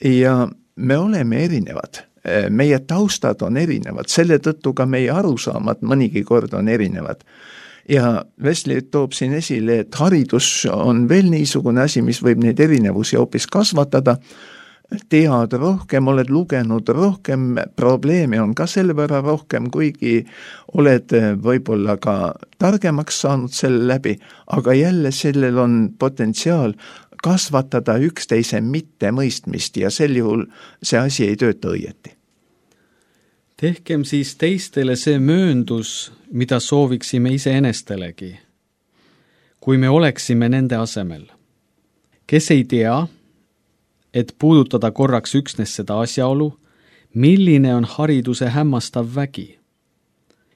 Ja me oleme erinevad, meie taustad on erinevad, selle tõttu ka meie arusaamad mõnigi kord on erinevad. Ja Wesley toob siin esile, et haridus on veel niisugune asi, mis võib neid erinevusi hoopis kasvatada, tead rohkem, oled lugenud rohkem, probleeme on ka selle võrra rohkem, kuigi oled võib-olla ka targemaks saanud selle läbi, aga jälle sellel on potentsiaal kasvatada üksteise mittemõistmist ja sel juhul see asi ei tööta õieti. Tehkem siis teistele see mööndus, mida sooviksime iseenestelegi, kui me oleksime nende asemel. Kes ei tea, et puudutada korraks üksnes seda asjaolu, milline on hariduse hämmastav vägi.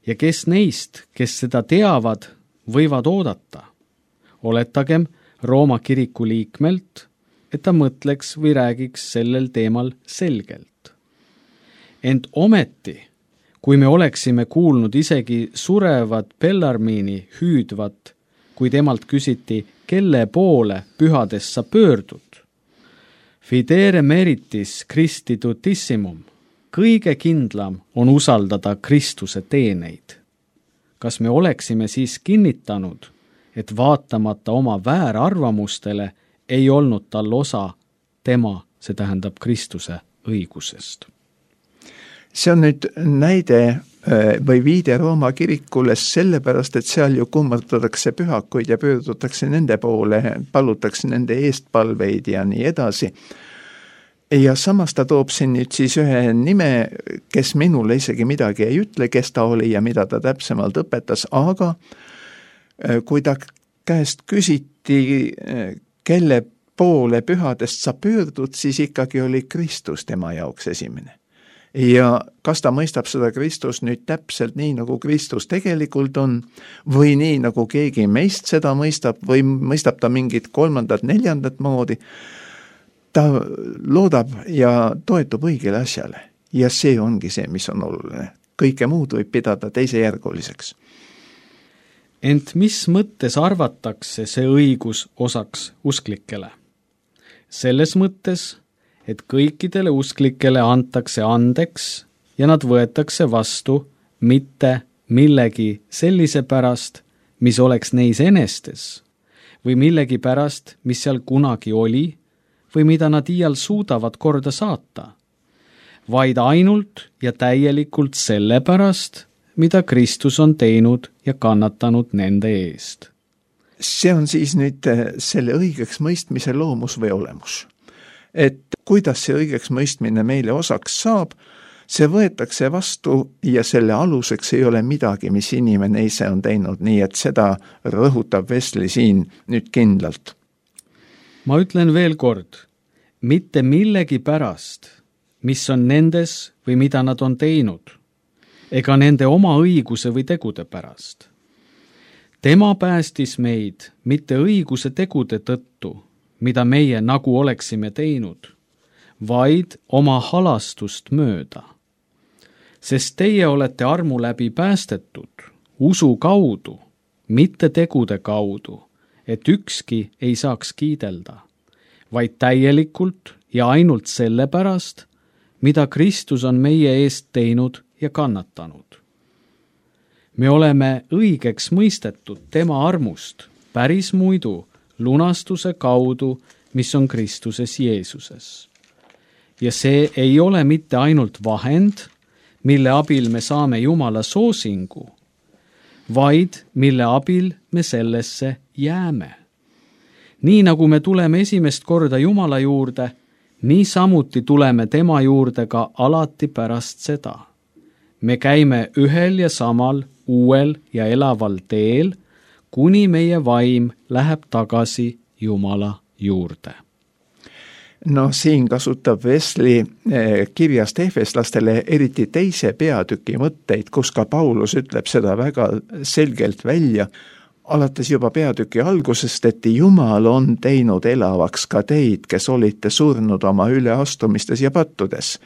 Ja kes neist, kes seda teavad, võivad oodata. Oletagem Rooma kiriku liikmelt, et ta mõtleks või räägiks sellel teemal selgelt. Ent ometi, kui me oleksime kuulnud isegi surevat Bellarmini hüüdvat, kui temalt küsiti, kelle poole pühadest sa pöördud, Fidere meritis Christi tutissimum, kõige kindlam on usaldada Kristuse teeneid. Kas me oleksime siis kinnitanud, et vaatamata oma väärarvamustele ei olnud tal osa tema, see tähendab Kristuse õigusest? See on nüüd näide või viide Rooma kirikule sellepärast, et seal ju kummardatakse pühakuid ja pöördutakse nende poole, palutakse nende eestpalveid ja nii edasi. Ja samas ta toob siin nüüd siis ühe nime, kes minule isegi midagi ei ütle, kes ta oli ja mida ta täpsemalt õpetas, aga kui ta käest küsiti, kelle poole pühadest sa pöördud, siis ikkagi oli Kristus tema jaoks esimene. Ja kas ta mõistab seda Kristus nüüd täpselt nii, nagu Kristus tegelikult on, või nii, nagu keegi meist seda mõistab, või mõistab ta mingit kolmandat, neljandat moodi, ta loodab ja toetub õigele asjale. Ja see ongi see, mis on oluline. Kõike muud võib pidada teisejärguliseks. Ent mis mõttes arvatakse see õigus osaks usklikele? Selles mõttes, et kõikidele usklikele antakse andeks ja nad võetakse vastu mitte millegi sellise pärast, mis oleks neis enestes, või millegi pärast, mis seal kunagi oli, või mida nad iial suudavad korda saata, vaid ainult ja täielikult selle pärast, mida Kristus on teinud ja kannatanud nende eest. See on siis nüüd selle õigeks mõistmise loomus või olemus. Et kuidas see õigeks mõistmine meile osaks saab, see võetakse vastu ja selle aluseks ei ole midagi, mis inimene ise on teinud, nii et seda rõhutab Wesley siin nüüd kindlalt. Ma ütlen veel kord, mitte millegi pärast, mis on nendes või mida nad on teinud, ega nende oma õiguse või tegude pärast. Tema päästis meid mitte õiguse tegude tõttu, mida meie nagu oleksime teinud, vaid oma halastust mööda. Sest teie olete armu läbi päästetud, usu kaudu, mitte tegude kaudu, et ükski ei saaks kiidelda, vaid täielikult ja ainult selle pärast, mida Kristus on meie eest teinud ja kannatanud. Me oleme õigeks mõistetud tema armust päris muidu lunastuse kaudu, mis on Kristuses Jeesuses. Ja see ei ole mitte ainult vahend, mille abil me saame Jumala soosingu, vaid mille abil me sellesse jääme. Nii nagu me tuleme esimest korda Jumala juurde, nii samuti tuleme tema juurde ka alati pärast seda. Me käime ühel ja samal uuel ja elaval teel, kuni meie vaim läheb tagasi Jumala juurde. No siin kasutab Wesley kirjast Efeslastele eriti teise peatüki mõtteid, kus ka Paulus ütleb seda väga selgelt välja, alates juba peatüki algusest, et Jumal on teinud elavaks ka teid, kes olite surnud oma üleastumistes ja pattudes.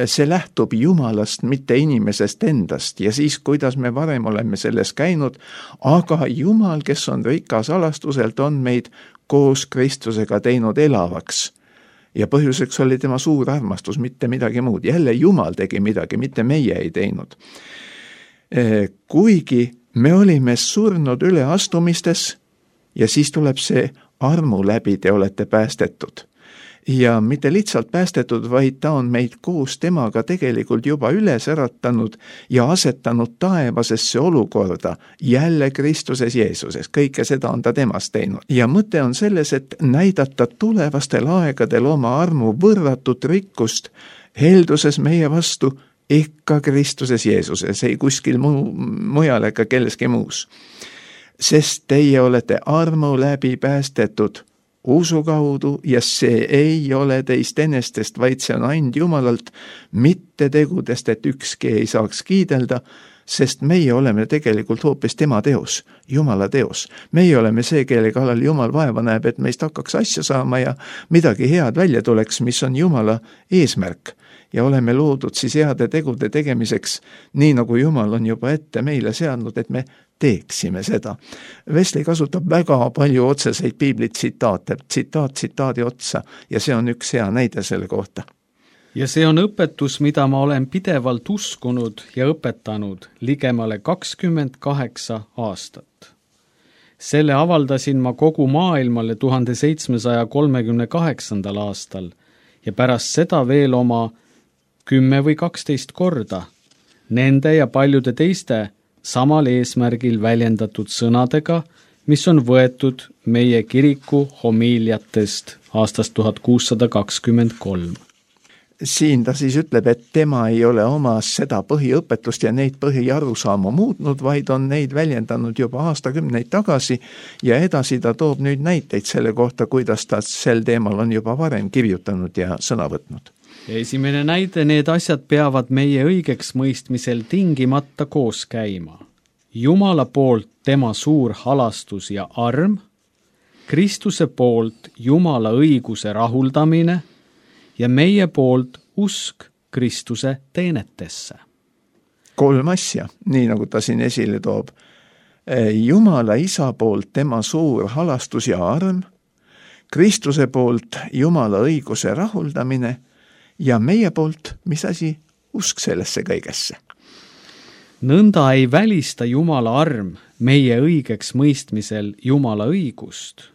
See lähtub Jumalast, mitte inimesest endast ja siis, kuidas me varem oleme selles käinud, aga Jumal, kes on rikas alastuselt, on meid koos Kristusega teinud elavaks. Ja põhjuseks oli tema suur armastus, mitte midagi muud. Jälle Jumal tegi midagi, mitte meie ei teinud. Kuigi me olime surnud üleastumistes ja siis tuleb see armu läbi, te olete päästetud. Ja mitte lihtsalt päästetud, vaid ta on meid koos temaga tegelikult juba üles äratanud ja asetanud taevasesse olukorda, jälle Kristuses Jeesuses. Kõike seda on ta temast teinud. Ja mõte on selles, et näidata tulevastel aegadel oma armu võrratut rikkust helduses meie vastu ikka Kristuses Jeesuses, ei kuskil muu, mujal ega kelleski muus. Sest teie olete armu läbi päästetud usu kaudu ja see ei ole teist enestest, vaid see on ainult Jumalalt, mitte tegudest, et ükski ei saaks kiidelda, sest meie oleme tegelikult hoopis tema teos, Jumala teos. Meie oleme see, kelle kallal Jumal vaeva näeb, et meist hakkaks asja saama ja midagi head välja tuleks, mis on Jumala eesmärk. Ja oleme loodud siis heade tegude tegemiseks, nii nagu Jumal on juba ette meile seadnud, et me teeksime seda. Wesley kasutab väga palju otseseid piibli tsitaate, tsitaat tsitaadi otsa ja see on üks hea näide selle kohta. Ja see on õpetus, mida ma olen pidevalt uskunud ja õpetanud ligemale kakskümmend kaheksa aastat. Selle avaldasin ma kogu maailmale tuhande seitsmesaja kolmekümne kaheksandal aastal ja pärast seda veel oma kümme või kaksteist korda nende ja paljude teiste samal eesmärgil väljendatud sõnadega, mis on võetud meie kiriku homiiliatest aastast tuhat kuussada kakskümmend kolm. Siin ta siis ütleb, et tema ei ole oma seda põhiõpetust ja neid põhiarusaamu muutnud, vaid on neid väljendanud juba aastakümneid tagasi ja edasi ta toob nüüd näiteid selle kohta, kuidas ta sel teemal on juba varem kirjutanud ja sõna võtnud. Ja esimene näide, need asjad peavad meie õigeks mõistmisel tingimata koos käima. Jumala poolt tema suur halastus ja arm, Kristuse poolt Jumala õiguse rahuldamine ja meie poolt usk Kristuse teenetesse. Kolm asja, nii nagu ta siin esile toob. Jumala isa poolt tema suur halastus ja arm, Kristuse poolt Jumala õiguse rahuldamine ja meie poolt, mis asi, usk sellesse kõigesse. nõnda ei välista Jumala arm meie õigeks mõistmisel Jumala õigust,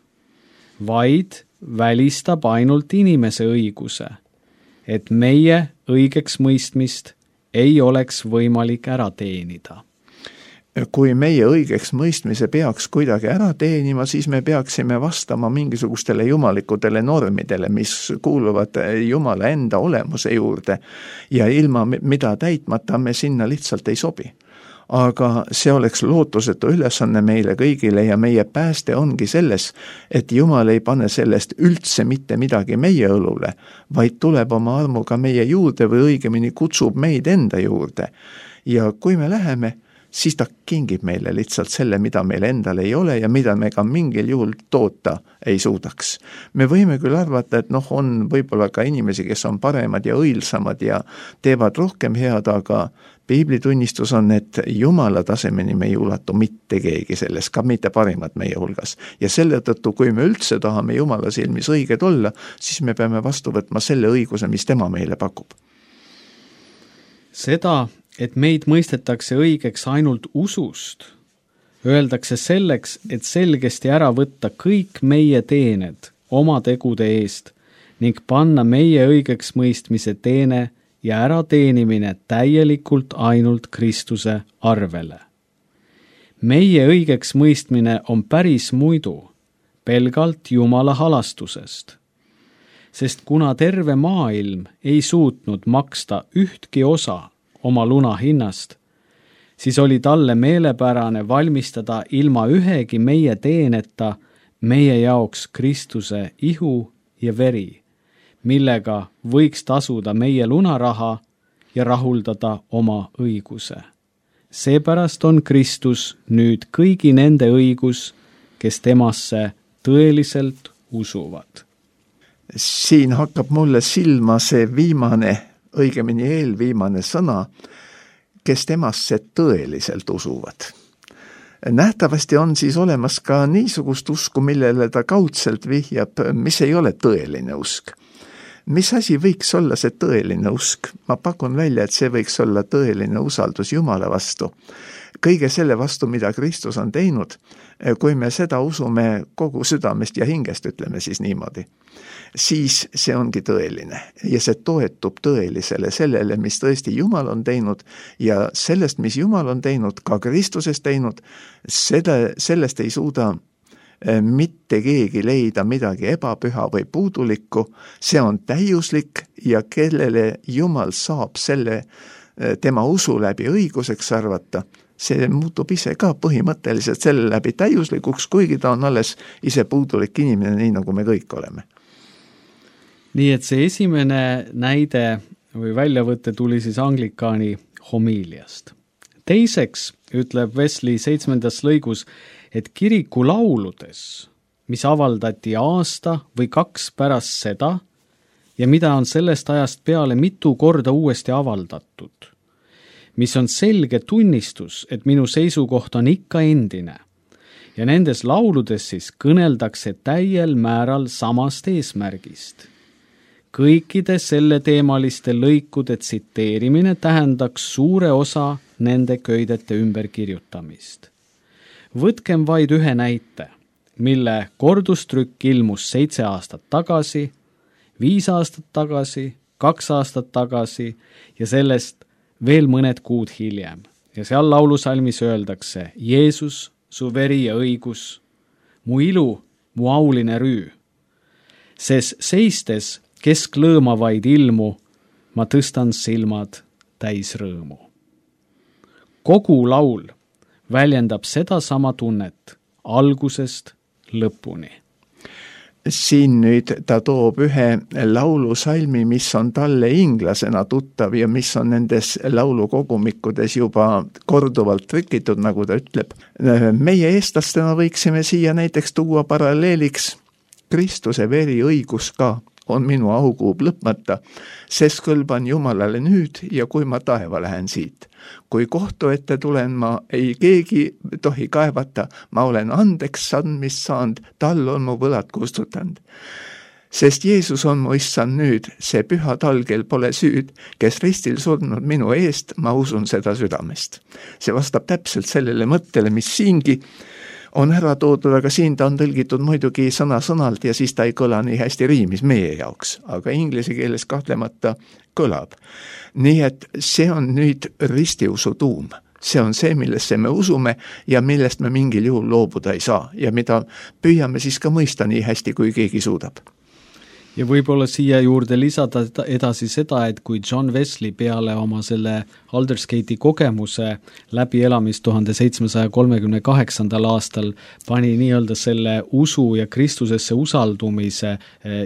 vaid välistab ainult inimese õiguse, et meie õigeks mõistmist ei oleks võimalik ära teenida. Kui meie õigeks mõistmise peaks kuidagi ära teenima, siis me peaksime vastama mingisugustele jumalikudele normidele, mis kuuluvad Jumala enda olemuse juurde ja ilma mida täitmata me sinna lihtsalt ei sobi. Aga see oleks lootusetu ülesanne meile kõigile ja meie pääste ongi selles, et Jumal ei pane sellest üldse mitte midagi meie õlule, vaid tuleb oma armuga meie juurde või õigemini kutsub meid enda juurde. Ja kui me läheme, siis ta kingib meile lihtsalt selle, mida meil endal ei ole ja mida me ka mingil juhul toota ei suudaks. Me võime küll arvata, et noh, on võib-olla ka inimesi, kes on paremad ja õilsamad ja teevad rohkem head, aga piiblitunnistus on, et Jumala tasemeni me ei ulatu mitte keegi selles, ka mitte parimad meie hulgas. Ja selle tõttu, kui me üldse tahame Jumala silmis õiged olla, siis me peame vastu võtma selle õiguse, mis tema meile pakub. Seda, et meid mõistetakse õigeks ainult usust, öeldakse selleks, et selgesti ära võtta kõik meie teened oma tegude eest ning panna meie õigeks mõistmise teene ja ära teenimine täielikult ainult Kristuse arvele. Meie õigeks mõistmine on päris muidu, pelgalt Jumala halastusest. Sest kuna terve maailm ei suutnud maksta ühtki osa oma luna hinnast, siis oli talle meelepärane valmistada ilma ühegi meie teeneta meie jaoks Kristuse ihu ja veri, millega võiks tasuda meie lunaraha ja rahuldada oma õiguse. Seepärast on Kristus nüüd kõigi nende õigus, kes temasse tõeliselt usuvad. Siin hakkab mulle silma see viimane, õigemini eelviimane sõna, kes temasse tõeliselt usuvad. Nähtavasti on siis olemas ka niisugust usku, millele ta kaudselt vihjab, mis ei ole tõeline usk. Mis asi võiks olla see tõeline usk? Ma pakun välja, et see võiks olla tõeline usaldus Jumala vastu. Kõige selle vastu, mida Kristus on teinud, kui me seda usume kogu südamest ja hingest, ütleme siis niimoodi, siis see ongi tõeline ja see toetub tõelisele sellele, mis tõesti Jumal on teinud ja sellest, mis Jumal on teinud, ka Kristuses teinud, seda, sellest ei suuda mitte keegi leida midagi ebapüha või puudulikku, see on täiuslik ja kellele Jumal saab selle tema usu läbi õiguseks arvata, see muutub ise ka põhimõtteliselt selle läbi täiuslikuks, kuigi ta on alles ise puudulik inimene, nii nagu me kõik oleme. Nii et see esimene näide või väljavõte tuli siis anglikaani homiiliast. Teiseks ütleb Wesley seitsmendas lõigus, et kiriku lauludes, mis avaldati aasta või kaks pärast seda ja mida on sellest ajast peale mitu korda uuesti avaldatud, mis on selge tunnistus, et minu seisukoht on ikka endine ja nendes lauludes siis kõneldakse täiel määral samast eesmärgist. Kõikide selle teemaliste lõikude tsiteerimine tähendaks suure osa nende köidete ümberkirjutamist. Võtkem vaid ühe näite, mille kordustrükk ilmus seitse aastat tagasi, viis aastat tagasi, kaks aastat tagasi ja sellest veel mõned kuud hiljem. Ja seal laulusalmis öeldakse, Jeesus, su veri ja õigus, mu ilu, mu auline rüü. Ses seistes kesk lõõmavaid ilmu, ma tõstan silmad täis rõõmu. Kogu laul väljendab seda sama tunnet algusest lõpuni. Siin nüüd ta toob ühe laulusalmi, mis on talle inglasena tuttav ja mis on nendes laulukogumikkudes juba korduvalt trükitud, nagu ta ütleb. Meie eestlastena võiksime siia näiteks tuua paralleeliks Kristuse veri õigus ka on minu aukuub lõpmata, sest kõlban Jumalale nüüd ja kui ma taeva lähen siit. Kui kohtu ette tulen, ma ei keegi tohi kaevata, ma olen andeks andmist saanud, tal on mu võlad kustutanud. Sest Jeesus on mu issand nüüd, see püha tal, kel pole süüd, kes ristil surnud minu eest, ma usun seda südamest. See vastab täpselt sellele mõttele, mis siingi on ära toodud, aga siin ta on tõlgitud muidugi sõna-sõnalt ja siis ta ei kõla nii hästi riimis meie jaoks, aga inglise keeles kahtlemata kõlab. Nii et see on nüüd ristiusu tuum. See on see, millesse me usume ja millest me mingil juhul loobuda ei saa ja mida püüame siis ka mõista nii hästi, kui keegi suudab. Ja võib-olla siia juurde lisada edasi seda, et kui John Wesley peale oma selle Aldersgate'i kogemuse läbielamist tuhande seitsmesaja kolmekümne kaheksandal aastal pani nii-öelda selle usu ja Kristusesse usaldumise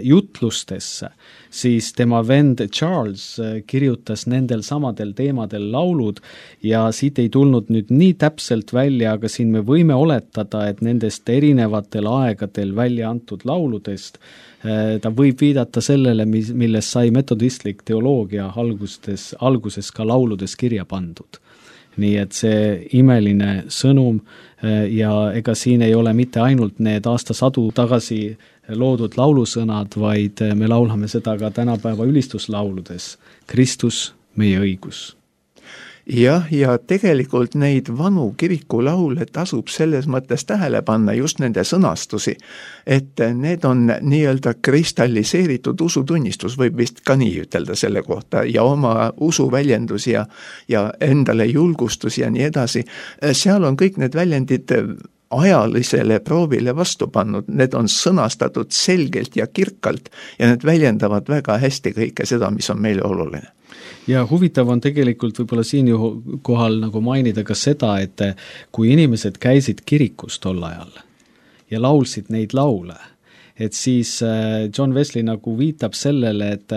jutlustesse, siis tema vend Charles kirjutas nendel samadel teemadel laulud ja siit ei tulnud nüüd nii täpselt välja, aga siin me võime oletada, et nendest erinevatel aegadel välja antud lauludest ta võib viidata sellele, millest sai metodistlik teoloogia alguses, alguses ka lauludes kirja pandud. Nii et see imeline sõnum ja ega siin ei ole mitte ainult need aastasadu tagasi loodud laulusõnad, vaid me laulame seda ka tänapäeva ülistuslauludes. Kristus, meie õigus. Jah, ja tegelikult neid vanu kirikulaule tasub selles mõttes tähele panna just nende sõnastusi, et need on nii-öelda kristalliseeritud usutunnistus, võib vist ka nii ütelda selle kohta, ja oma usuväljendus ja, ja endale julgustus ja nii edasi. Seal on kõik need väljendid ajalisele proovile vastu pannud, need on sõnastatud selgelt ja kirkalt ja need väljendavad väga hästi kõike seda, mis on meile oluline. Ja huvitav on tegelikult võib-olla siin kohal nagu mainida ka seda, et kui inimesed käisid kirikus tol ajal ja laulsid neid laule, et siis John Wesley nagu viitab sellele, et,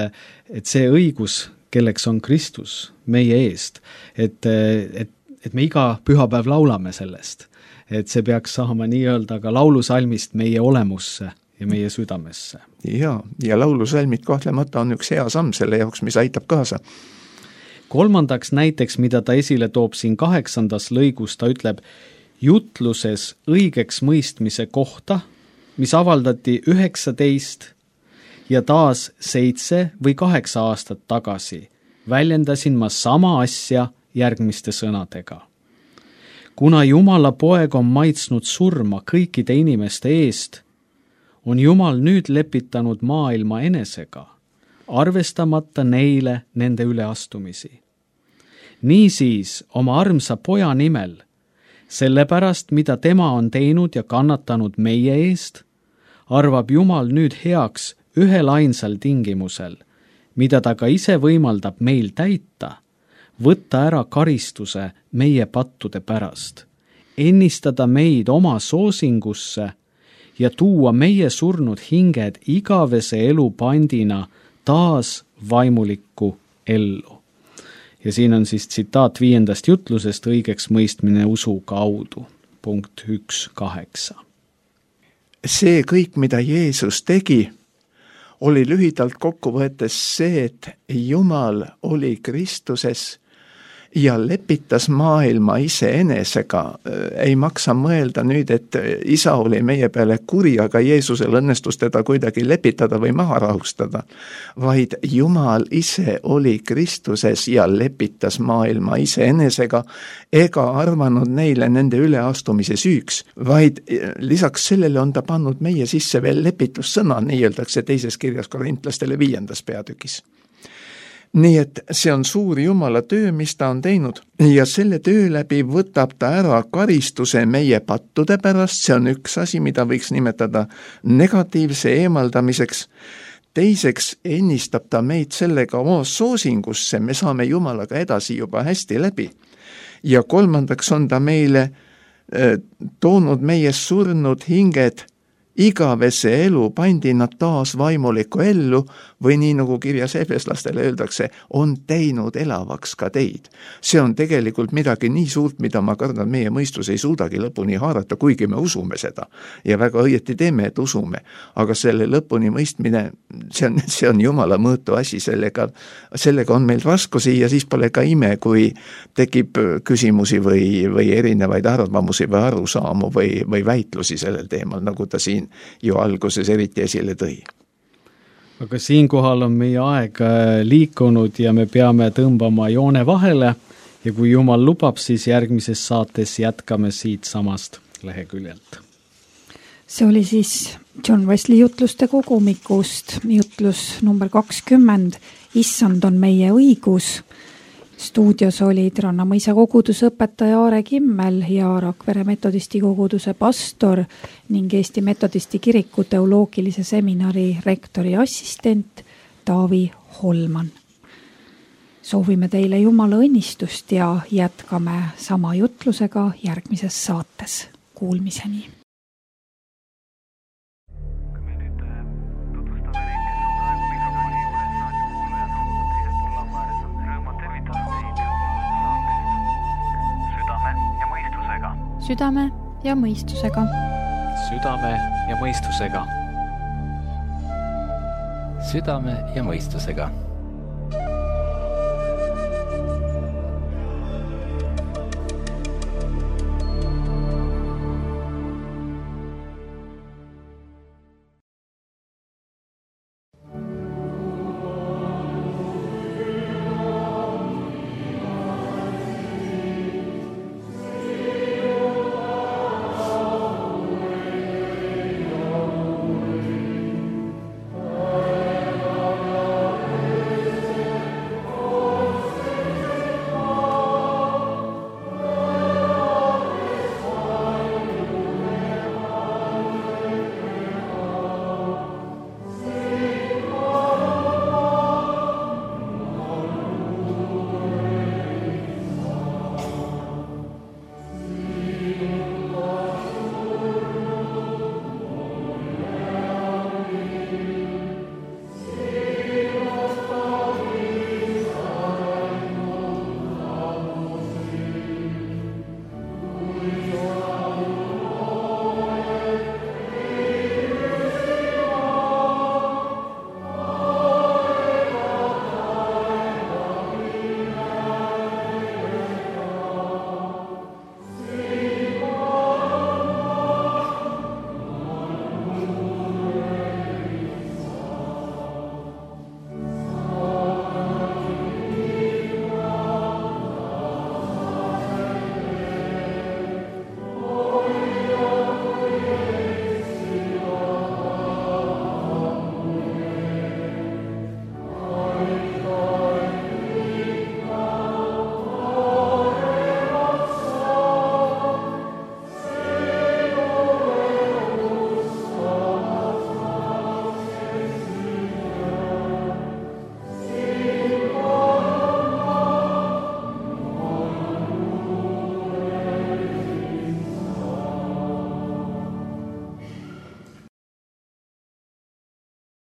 et see õigus, kelleks on Kristus meie eest, et, et, et me iga pühapäev laulame sellest, et see peaks saama nii-öelda ka laulusalmist meie olemusse ja meie südamesse. Ja, ja laulusalmid kahtlemata on üks hea samm selle jaoks, mis aitab kaasa. Kolmandaks näiteks, mida ta esile toob siin kaheksandas lõigus, ta ütleb jutluses õigeks mõistmise kohta, mis avaldati üheksateist ja taas seitse või kaheksa aastat tagasi, väljendasin ma sama asja järgmiste sõnadega. Kuna Jumala poeg on maitsnud surma kõikide inimeste eest, on Jumal nüüd lepitanud maailma enesega, arvestamata neile nende üleastumisi. Niisiis oma armsa poja nimel, sellepärast, mida tema on teinud ja kannatanud meie eest, arvab Jumal nüüd heaks ühel ainsal tingimusel, mida ta ka ise võimaldab meil täita, võtta ära karistuse meie pattude pärast, ennistada meid oma soosingusse ja tuua meie surnud hinged igavese elu pandina taas vaimulikku ellu. Ja siin on siis tsitaat viiendast jutlusest õigeks mõistmine usu kaudu, punkt üks kaheksa. See kõik, mida Jeesus tegi, oli lühidalt kokku võetes see, et Jumal oli Kristuses ja lepitas maailma ise enesega. Ei maksa mõelda nüüd, et isa oli meie peale kuri, aga Jeesusel õnnestus teda kuidagi lepitada või maha rahustada, vaid Jumal ise oli Kristuses ja lepitas maailma ise enesega ega arvanud neile nende üleastumise süüks, vaid lisaks sellele on ta pannud meie sisse veel lepitussõna, nii öeldakse teises kirjas korintlastele viiendas peatükis. Nii et see on suur Jumala töö, mis ta on teinud ja selle töö läbi võtab ta ära karistuse meie pattude pärast, see on üks asi, mida võiks nimetada negatiivse eemaldamiseks. Teiseks ennistab ta meid sellega oma soosingusse, me saame Jumalaga edasi juba hästi läbi. Ja kolmandaks on ta meile äh, toonud meie surnud hinged igavese elu pandi nad taas vaimulikku ellu või nii nagu kirjas efeslastele öeldakse, on teinud elavaks ka teid. See on tegelikult midagi nii suurt, mida ma kardan, meie mõistus ei suudagi lõpuni haarata, kuigi me usume seda. Ja väga õieti teeme, et usume. Aga selle lõpuni mõistmine, see on, see on Jumala mõõtu asi, sellega, sellega on meil raskusi ja siis pole ka ime, kui tekib küsimusi või, või erinevaid arvamusi või arusaamu või, või väitlusi sellel teemal, nagu ta siin ju alguses eriti esile tõi. aga siinkohal on meie aeg liikunud ja me peame tõmbama joone vahele ja kui Jumal lubab, siis järgmises saates jätkame siit samast leheküljelt. See oli siis John Wesley jutluste kogumikust, jutlus number kakskümmend, Issand on meie õigus. Stuudios olid Rannamõisa koguduse õpetaja Aare Kimmel ja Rakvere metodisti koguduse pastor ning Eesti metodisti kiriku teoloogilise seminari rektori assistent Taavi Holman. Soovime teile Jumala õnnistust ja jätkame sama jutlusega järgmises saates. Kuulmiseni! Südame ja mõistusega. Südame ja mõistusega. Südame ja mõistusega.